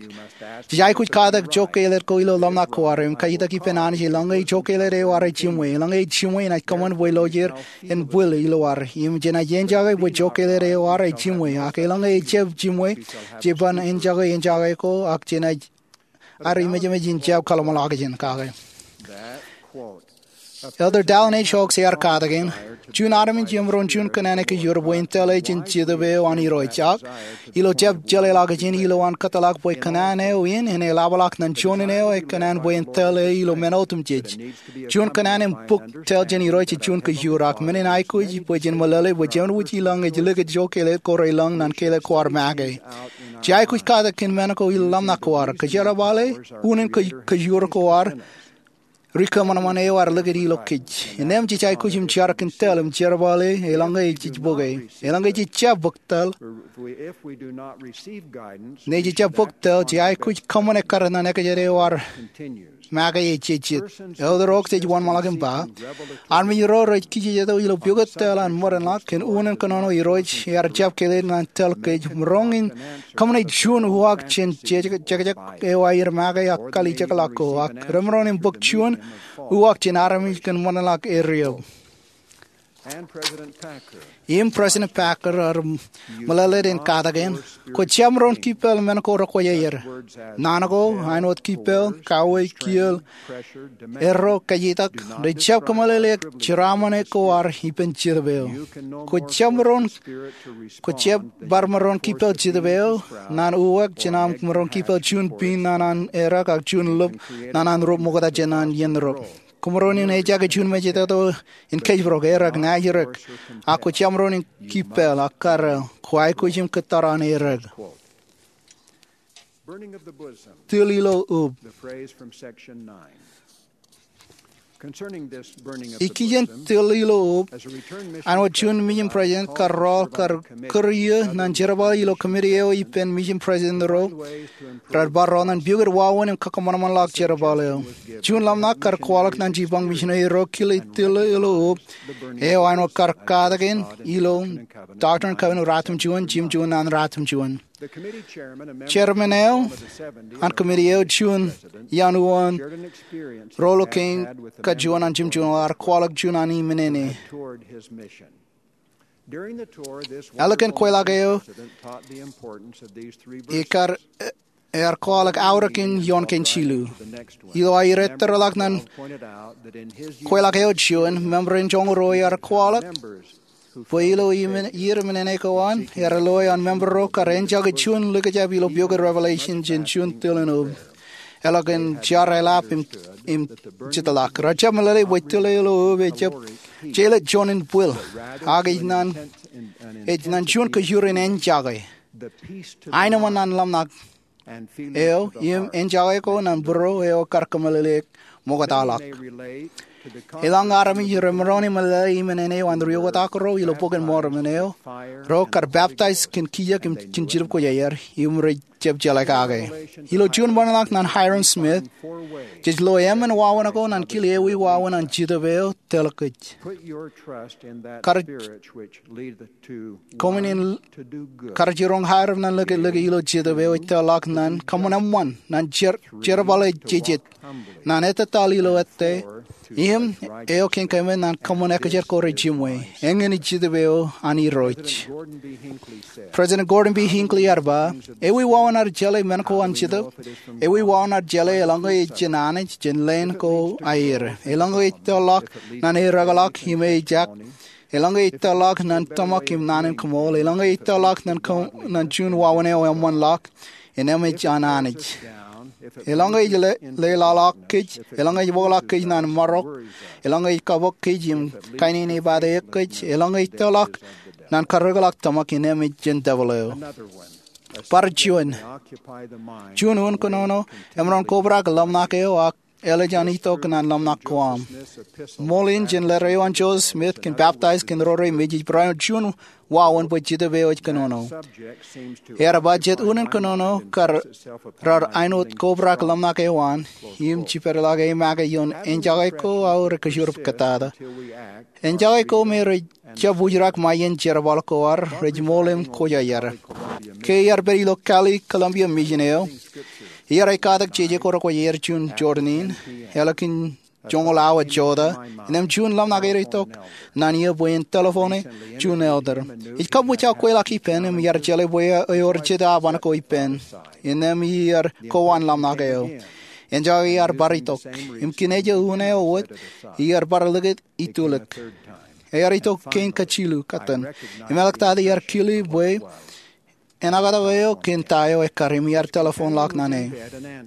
Jej aikuj katak jokkelet ko ilo ḷōmṇak ko ad im kajjitōk ippān Anij eḷaññe jokkelet eo ad ej jiṃwe. Eḷaññe ej jiṃwe enaaj kōṃṃan bwe lo er en bwil ilo ad. Im jenaaj enjake bwe jokkelet eo ad ej jiṃwe. Ak eḷaññe ejjab jiṃwe, jej ban enjake enjake ko, ak jenaaj ad emejemej in jab kōḷmānḷọkjeṇ kake. Elder Dallin H. Oaks ear katakin, juon armej emaroñ juon kōnnaan ekajoor bwe en tōl e jān Jetōb eo an Irooj, ak ilo jab jeḷāḷọkjeṇ, ilowaan kōtḷọk bwe kōnnaan eo in en eḷapḷọk ñan juon eo ekōnnaan bwe en tōl e ilo men otemjej. Juon kōnnaan im bōk tōl jān Irooj ej juon kajoor, ak men in aikuj bwe jen meḷeḷe bwe jenaaj ilọk ej likūt jokkelet ko relōñ ñan kelet ko ad make. Jej aikuj katak kōn men ko ilo ḷōmṇak ko ad, kōjerbale unin kajoor ko ad, ri kōṃanṃan eo ad likūt ilo kōj. Innem jej aikuj im jar kōn tōl im jerbale eḷaññe jej bōke. Eḷaññe jej jab bōk tōl, ñe jej jab bōk tōl, jej aikuj kōṃṃan ekkar ñan ekajet eo ad make ej jejjet. Elder Oaks ej wōnṃaanḷọk im ba, armej ro rej kijejeto ilo pukot tōl an ṃōdenḷọk kōn unin kōnono Irooj ear jab kile ñan tōl kōj, maroñ in kōṃṃane juon uwaak jān jekjek eo aer make ak kalijekḷọk ko, ak remaroñ in bōk juon uwaak jān armej kōn ṃōdenḷọk er eo. Im President Packer ear meḷeḷein katakin, kwō jab maroñ kippeḷ men ko rekwōjarjar. Naan ko, āinwōt kippeḷ, kauwe, kiiō, erro, kajjitōk, rej jab kōmeḷeḷeik jeraaṃṃan ko ad ippān Jetōb eo. Kwō jab maroñ, kwō jab bar maroñ kippeḷ Jetōb eo ñan uwaak jān aṃ maroñ kippeḷ juon piin ñan an errā ak juon lop ñan an rup ṃokta jān an iien rup. Kwō maroñ in ejjake juon mejatoto in kōjparok, errā, ña ij errā, ak kwō jab maroñ in kippeḷ ak karreel, kwō aikuj im kōttar an errā. Tūl ilo ub. Ikijjien tōl ilo ub, āinwōt juon mission president kar rọọl kar kūr iiō ñan jerbal ilo committee eo ippān mission president ro rej bar rọọl ñan piukūt wāween im kakkōṃanṃanḷọk jerbal eo. Juon ḷōmṇak kar kwaḷọk ñan jipañ missionary ro kile tōl ilo ub eo āinwōt kar katakin ilo Doctrine and Covenants ruatimjuon, jimjuon ñan ruatimjuon. Chairman eo an committee eo, juon iaan uwaan ro ilo kein kajuon an jimjuon, ear kwaḷọk juon an iminene. Ālikin kweilọk eo, ekar ear kwaḷọk aorōk in ioon kein jilu. Ilo aer ettōrḷọk ñan kweilọk eo juon, member in joñoul ruo ear kwaḷọk bwe ilo iien iminene ko an, ear loe an member ro kar enjake juon likjab ilo piokwe Revelation jān juon tōl in ub. Eḷak in jar eḷap im, im jitḷọk. Rejjab meḷeḷe bwe tōl eo ilo ub ejjab jelōt juon in bwil, ak ej ñan, ej ñan juon kajjioñ in enjake. Aenōṃṃan an ḷōmṇak eo im enjake ko ñan būruō eo kar kōmeḷeḷeik ṃoktaḷọk. Eḷaññe armej remaroñ in meḷeḷe iminene eo an ri-oktak ro ilo Bok in Mormon eo, ro kar baptize kōn kiiō im kōn Jetōb Kwōjarjar im rej jab jeḷā kake. Ilo juon ṃōṇōṇō ñan Hyrum Smith, jej lo emān wāween ko ñan kile ewi wāween an Jetōb eo tōl kōj. Kar Koṃwin in kar jiroñ Hyrum ñan likūt, likūt ilo Jetōb eo ej tōl ḷọk ñan kōṃṃan eṃṃan, ñan jer-, jerbal eo jejet, ñan ettōtaḷ ilo ettā, im eo kein keemān ñan kōṃṃan ekajet ko rej jimwe. Eñin ej Jetōb eo an Irooj. President Gordon B. Hinckley ear ba, ewi wāween ad jeḷā men ko an Jetōb? Ewi wāween ad jeḷā eḷaññe ej jān Anij, jān leen ko aer? Eḷaññe ej tōl ḷọk ñan eokḷọk im ejak, eḷaññe ej tōl ḷọk ñan tōmak im naan in kōṃool, eḷaññe ej tōl ḷọk ñan ko-, ñan juon wāween eo eṃṃanḷọk, innem ej an Anij. Eḷaññe ej le-, leḷọk kōj, eḷaññe ej bōkḷọk kōj ñan marok, eḷaññe ej kabōk kōj im kainene pād eok kōj, eḷaññe ej tōl ḷọk ñan karreoḷọk tōmak, innem ej jān devil eo. Bar juon. Juon unin kōnono emaroñ kobrak ḷōmṇak eo ak eḷap an itok ñan ḷōmṇak ko aṃ. Ṃool in jān letter eo an Joseph Smith kōn baptize kōn ro rej mej ej barāinwōt juon wāween bwe Jetōb eo ej kōnono. Ear ba jet unin kōnono kar raar āinwōt kobrak ḷōmṇak eo an, im jibadḷọk e make ioon enjake ko aō rej kōjro kōtata. Enjake ko me rej jab wūjrak ṃae iien jerbal ko ad rej ṃool im kwōjarjar. Ke iar pād ilo Cali Columbia Mission eo, iar ekatak jeje ko rekwōjarjar juon Jordan in, ālikin joñoul awa jota, innem juon ḷōmṇak eo ej itok ñan eō bwe en telephone e juon elder. Ej kab wōj aō kweilọk ippān im iar jeḷā bwe ewōr jet aban ko ippān. Innem iar kowaan ḷōmṇak eo. Enjake ear bar itok. Im kiiō eo unin eo wōt, iar bar likūt itulōk. Ear itok kein kajilu katten. Im eḷak tata iar kile bwe enaktak eo kōn ta eo ekkar im iar telephone ḷọk ñan e.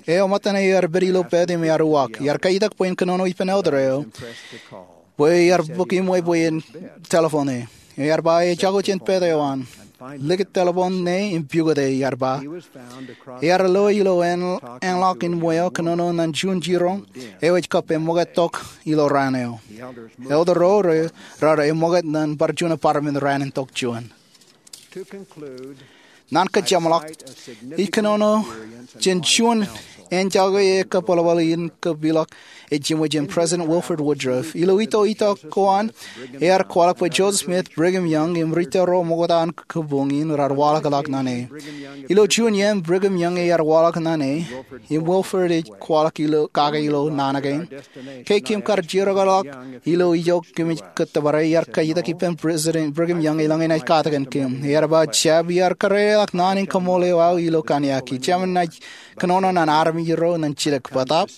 Eo ṃōttan ear pād ilo bed im ear uwaak. Iar kaitak bwe en kōnono ippān elder eo bwe iar bōk iṃwe bwe en telephone e. Ear ba ejako jān bed eo an. Likūt telephone ṇe im pukot e, ear ba. Ear lo ilo eṇ-, eṇ ḷọk iṃwe eo kōnono ñan juon jiroñ eo ej kab eṃōkaj tok ilo raan eo. Elder ro raar eṃōkaj ñan bar juon apartment raan in tok juon. Ñan kōjeṃḷọk, ij kōnono jān juon enjake ekabwilbwil in kab ilọk ej jiṃwe jān President Wilford Woodruff. Ilo itok itok ko an, ear kwaḷọk bwe Joseph Smith, Brigham Young, im ri-tōl ro ṃokta an kōpoñ in raar waḷọkḷọk ñan e. Ilo juon iien Brigham Young ear waḷọk ñan e, im Wilford ej kwaḷọk ilo, kake ilo naan kein. Ke kōm kar jiroñḷọk ilo ijo kōmij kōttōpare, iar kaitak ippān President Brigham Young eḷaññe enaaj katakin kōm. Ear ba jab iar kōrreḷọk naan in kōṃṃool eo aō ilo kōnono. Jemān naaj kōnono ñan armej ro ñan jidik bōtab.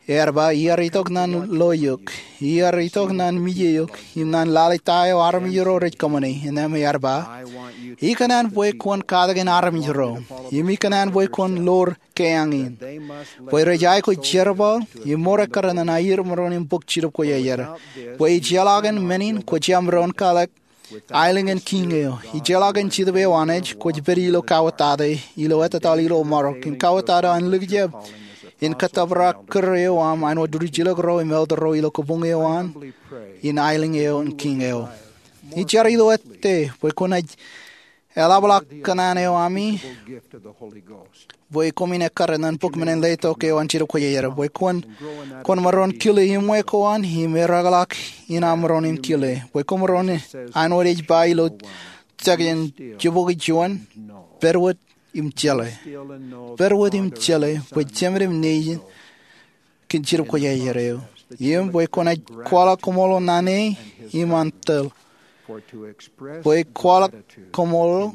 Ear ba iar itok ñan lo eok. Iar itok ñan mije eok. Im ñan lale ta eo armej ro rej kōṃṃane. Innem ear ba, ikōṇaan bwe kwōn katakin armej ro. Im ikōṇaan bwe kwōn lor keañ in. Bwe rej aikuj jerbal, im mour ekkar ñan aier maroñ in bōk Jetōb Kwōjarjar. Bwe ijeḷā kōn men in, kwōj jab maroñ in kalōk aelōñ in kiiñ eo. Ijeḷā kōn Jetōb eo an Anij, kwōj pād ilo kauwōtata, ilo ettōtaḷ ilo marok, im kauwōtata an likjab in kōttōpar kūr eo aṃ āinwōt rijilōk ro im elder ro ilo kabuñ eo an in aelōñ eo in kiiñ eo. Ij jar ilo ātde bwe kwōnaaj eḷapḷọk kōṇaan eo ami bwe koṃwin ekkar ñan bok men in letok eo an Jidōb Kwōjarjar, bwe kwōn, kwōn maroñ kile iṃwe ko an im erakḷọk in aṃ maroñ in kile, bwe kwōmaroñ, āinwōt ej ba ilo section jibukwi juon, pād wōt im jeḷā. Pād wōt im jeḷā bwe Jemān im Nejin kōn Jidōb Kwōjarjar eo, im bwe kwōnaaj kwaḷọk koṃṃool naan e im an tōl. Bwe kwaḷọk koṃṃool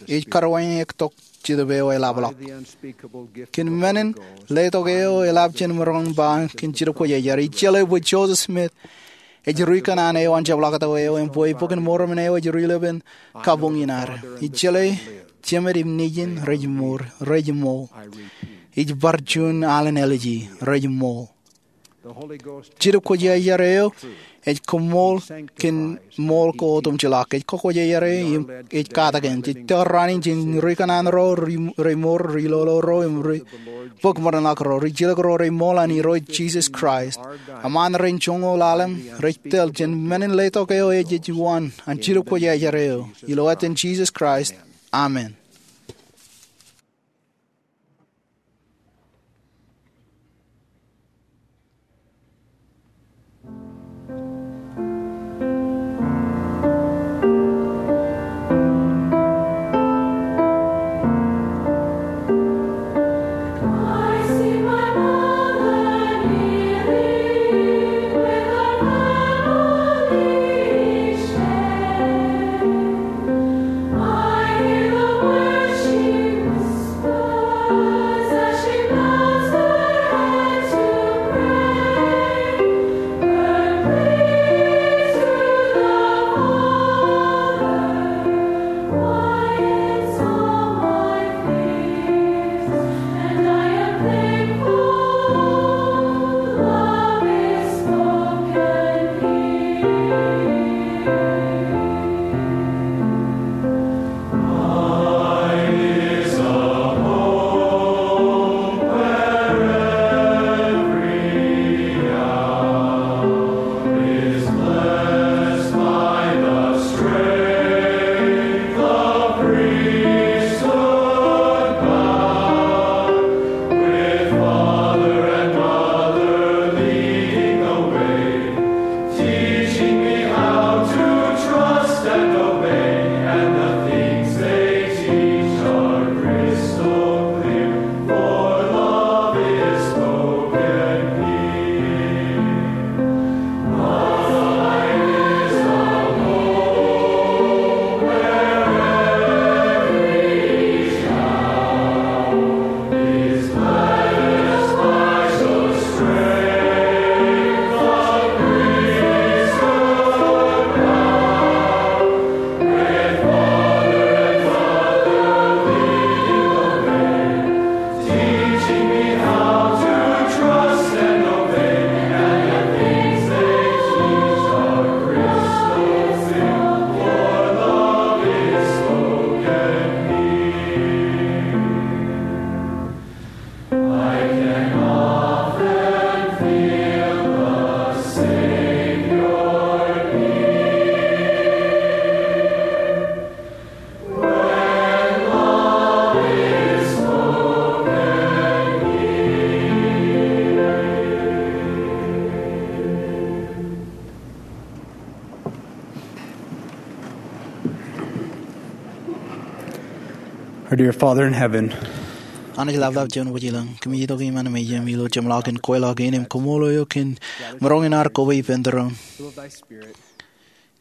ej karwaineik tok Jetōb eo eḷapḷọk. Kōn men in letok eo eḷap jān maroñ in ba kōn Jidōb Kwōjarjar, ij jeḷā bwe Joseph Smith ej ri kōṇaan eo an jepḷaaktok eo im bwe Bok in Mormon eo ej ri lepen kabuñ in ad. Ij jeḷā Jemān im Nejin rej mour, rej ṃool. Ij bar juon alen āliji, rej ṃool. Jidōb Kwōjarjar eo ej koṃṃool kōn ṃool ko otemjeḷọk. Ej kwōjarjar e im ej katakin. Jej tōre raan in jān ri kōṇaan ro, ri, ri mour, ri lolo ro im ri bōk ṃōṇōṇō ro, rijilōk ro rej ṃool an Irooj Jisōs Kraist, eṃṃaan rej joñoul ḷalem, rej tōl jān men in letok eo ej, ej wōn an Jidōb Kwōjarjar eo. Ilo etan Jisōs Kraist, amen. Teaching me how to trust and obey, and the things they teach are crystal clear, for love is spoken here. Mine is a home where every child Our dear Father in heaven, Anij ḷapḷap juon wōj ilañ, kōmij itok iṃaan mejaṃ ilo jeṃḷọkin kweilọk in im koṃṃool eok kōn maroñ in ad koba ippān tōre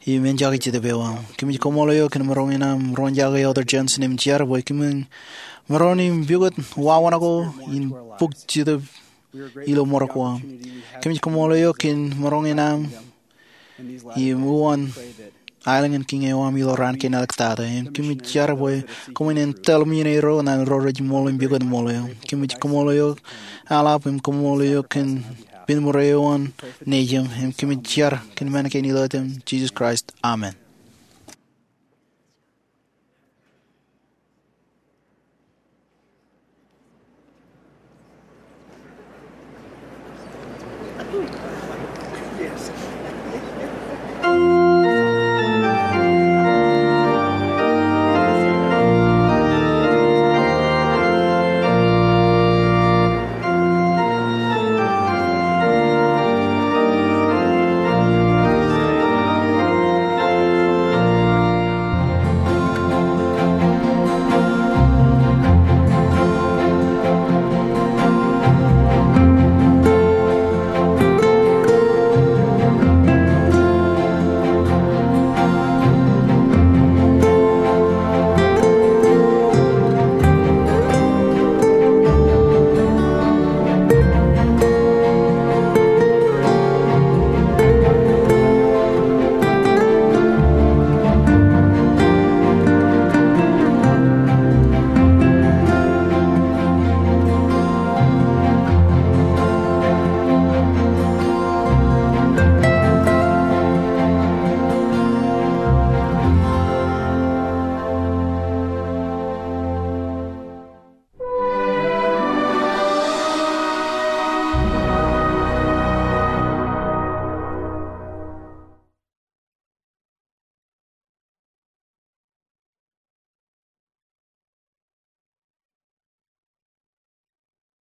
im enjake Jetōb eo aṃ. Kōmij koṃṃool eok kōn maroñ in aṃ roñjake Elder Jensen im jar bwe kōmin maroñ in pukot wāween ko in bōk Jetōb ilo ṃōrok ko aṃ. Kōmij koṃṃool eok kōn maroñ in aṃ im uwaan aelōñ in kiiñ eo aṃ ilo raan kein āliktata. Im kōmij jar bwe koṃwin en tōl men eo ro ñan ro rej ṃool im pukot ṃool eo. Kōmij koṃṃool eok, eḷap im koṃṃool eok kōn pen ṃōrā eo an Nejiṃ, im kōmij jar kōn men kein ilo etan Jisōs Kraist. Amen.